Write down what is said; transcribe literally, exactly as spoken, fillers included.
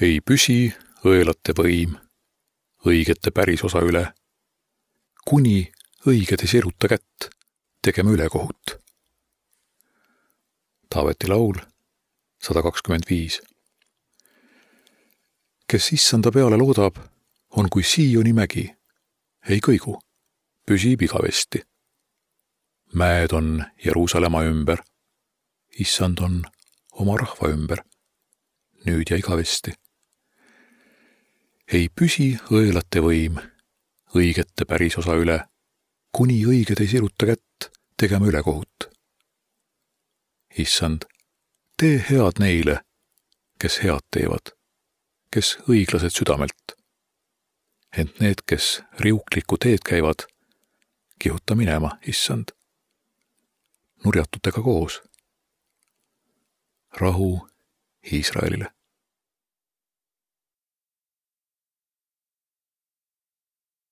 Ei püsi õelate võim õigete pärisosa üle, kuni õiged ei siruta kätt tegema ülekohut. Taaveti laul sada kakskümmend viis. Kes issanda peale loodab, on kui Sioni mägi, ei kõigu, püsib igavesti. Mäed on Jeruusalemma ümber, issand on oma rahva ümber, nüüd ja igavesti. Ei püsi õelate võim õigete pärisosa üle, kuni õiged ei siruta kätt tegema ülekohut. Issand, tee head neile, kes head teevad, kes õiglased südamelt. Ent need, kes riuklikku teed käivad, kihuta minema, issand, nurjatutega koos. Rahu Iisraelile.